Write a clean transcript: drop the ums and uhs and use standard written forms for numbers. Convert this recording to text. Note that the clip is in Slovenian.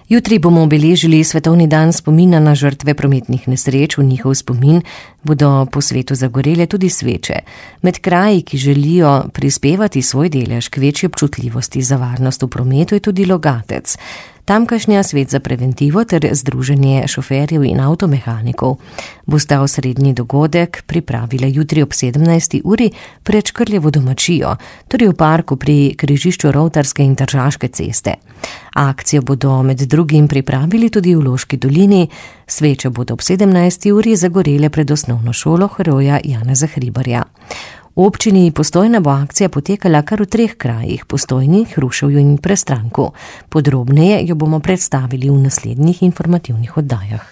Jutri bomo obeležili Svetovni dan spomina na žrtve prometnih nesreč. V njihov spomin bodo po svetu zagorele tudi sveče. Med kraji, ki želijo prispevati svoj delež k večji občutljivosti za varnost v prometu, je tudi Logatec. Tamkajšnja Svet za preventivo ter Združenje šoferjev in avtomehanikov bosta osrednji dogodek pripravile jutri ob 17. uri pred Škrljevo domačijo, torej v parku pri križišču Rovtarske in Tržaške ceste. Akcijo bodo med drugim pripravili tudi v Loški dolini. Sveče bodo ob 17. uri zagorele pred osnovno šolo heroja Janeza Hribarja. V občini Postojna bo akcija potekala kar v 3 krajih, Postojni, Hruševju in Prestranku. Podrobneje jo bomo predstavili v naslednjih informativnih oddajah.